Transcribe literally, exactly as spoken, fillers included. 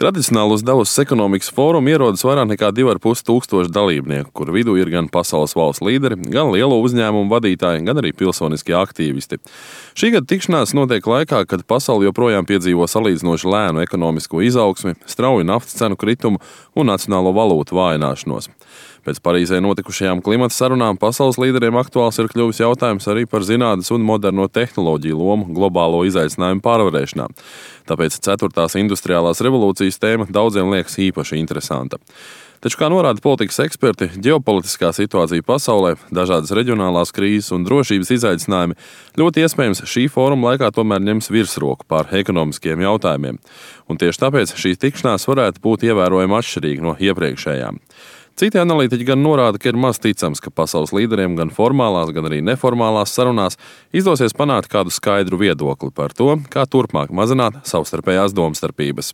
Tradicionāli uz Davosas ekonomikas fórumu ierodas vairāk nekā divi ar pus tūkstoši dalībnieku, kur vidū ir gan pasaules valstu līderi, gan lielo uzņēmumu vadītāji, gan arī pilsoniskie aktīvisti. Šī gada tikšanās notiek laikā, kad pasaule joprojām piedzīvo salīdzinoši lēnu ekonomisko izaugsmi, strauju naftas cenu kritumu un nacionālo valūtu vājināšanos. Pēc Parīzē notikušajām klimata sarunām pasaules līderiem aktuāls ir kļuvis jautājums arī par zinātnes un moderno tehnoloģiju lomu globālo izaicinājumu pārvarēšanā. Tāpēc ceturtās industriālās revolūcijas tēma daudziem liekas īpaši interesanta. Taču, kā norāda politikas eksperti, ģeopolitiskā situācija pasaulē, dažādas reģionālās krīzes un drošības izaicinājumi ļoti iespējams šī fóruma laikā tomēr ņems virsroku pār ekonomiskiem jautājumiem. Un tieši tāpēc šī tikšanās varētu būt ievērojami atšķirīga no iepriekšējām. Citi analītiķi gan norāda, ka ir maz ticams, ka pasaules līderiem gan formālās, gan arī neformālās sarunās izdosies panākt kādu skaidru viedokli par to, kā turpmāk mazināt savstarpējās domstarpības.